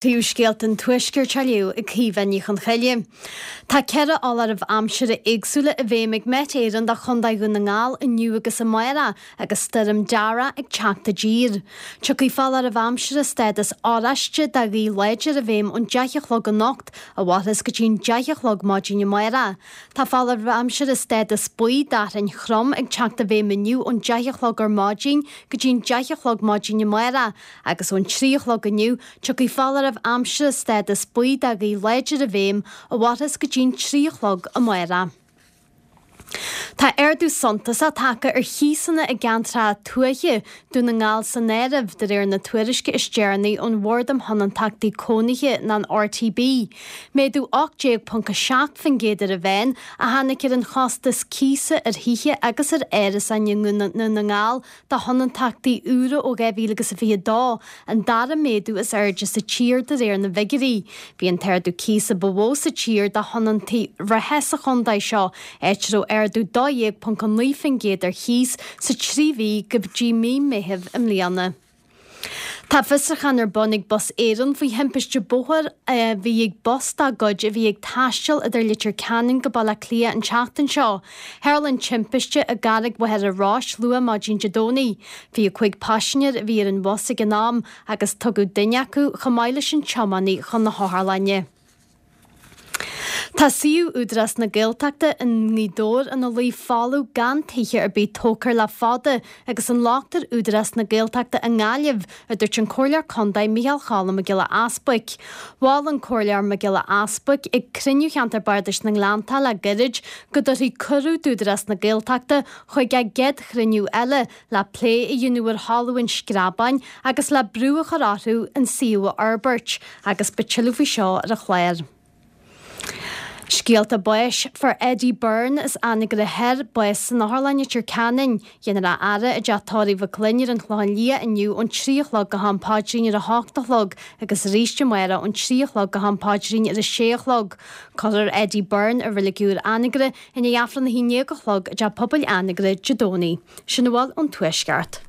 Príomhscéalta an Tuaiscirt á léamh ag Caoimhe Ní Chonchoille. Tá 4 fholáireamh aimsire éagsúla i bhfeidhm ag Met Éireann do Chondae Dhún na nGall inniu agus amárach agus stoirm Darragh ag teacht i dtír. Tiocfaidh foláireamh aimsire stádas oráiste do ghaoth láidir i bhfeidhm ón 10 a chlog anocht a mhairfeas go dtí'n 10 a chlog maidin amárach. Tá foláireamh aimsire stádas buí d'fhearthainn throm ag teacht i bhfeidhm inniu ón 10 a chlog ar maidin go dtí'n 10 a chlog maidin amárach agus ón 3 a chlog inniu Tiocfaidh foláireamh aimsire stádas buí do ghaoth láidir i bhfeidhm a mhairfeas go dtí'n 3 a chlog amárach. Tá ardú suntasach tagtha ar chíosanna i gceantracha tuaithe, Dún na nGall san áireamh, de réir na tuairisce is deireanaí ón Bhord um Thionóntachtaí Cónaithe nó an RTB. Méadú 18.7% ar an mheán a tháinig ar an chostas cíosa ar thithe agus ar árasáin i nDún na nGall do thionóntachtaí úra ó 2022, an dara méadú is airde sa tír de réir na bhfigiúirí. Bhí an t-ardú cíosa ba mhó sa tír do thionóntaí reatha sa chontae seo, áit a raibh ardú 12.9% ar chíos sa trí mhí go dtí mí Meithimh i mbliana. Tá fiosrúchán ar bun ag Bus Éireann faoi thimpiste bóthair a bhí ag bus dá gcuid a bhí ag taisteal idir Leitir Ceanainn go Baile Átha Cliath an tseachtain seo. Tharla an timpiste i gCarraig Mhachaire Rois luath maidin Dé Domhnaigh. 25 paisinéir a bhí ar an bhus ag an am agus tugadh duine acu, chomh maith leis an tiománaí, chun na hotharlainne. Tá suíomh Údarás na Gaeltachta i nGaoth Dobhair ina luí folamh gan tithe ar bith tógtha air le fada agus an locht ar Údarás na Gaeltachta i nGaillimh, a dúirt an Comhairleoir Contae Micheál Cholm Mac Giolla Easbuic. Mhol an Comhairleoir Mac Giolla Easbuic ag cruinniú Cheantar Bardais na nGleanntach le gairid go dtabharfaí cuireadh d'Údarás na Gaeltachta chuig a gcéad chruinniú eile le plé a dhéanamh ar thalamh an Screabáin agus le brú a chur orthu an suíomh a fhorbairt agus beidh tuilleadh faoi seo ar an chlár. Scéalta báis, Fuair Eddie Byrne as Anagaire Thoir bás san Otharlann i Leitir Ceanainn. Dhéanfar a fhaire i dteach tórraimh Mhic Fhloinn ar an Chlochán Liath inniu ón 3 a chlog go ham paidrín ar a 8 a chlog agus arís amárach ón 3 a chlog go ham paidrín ar a 6 a chlog. Cuirfear Eddie Byrne i Reilig Úr Anagaire i ndiaidh Aifreann a 11 a chlog i dTeach Pobail Anagaire Dé Domhnaigh. Sin a bhfuil ón Tuaisceart.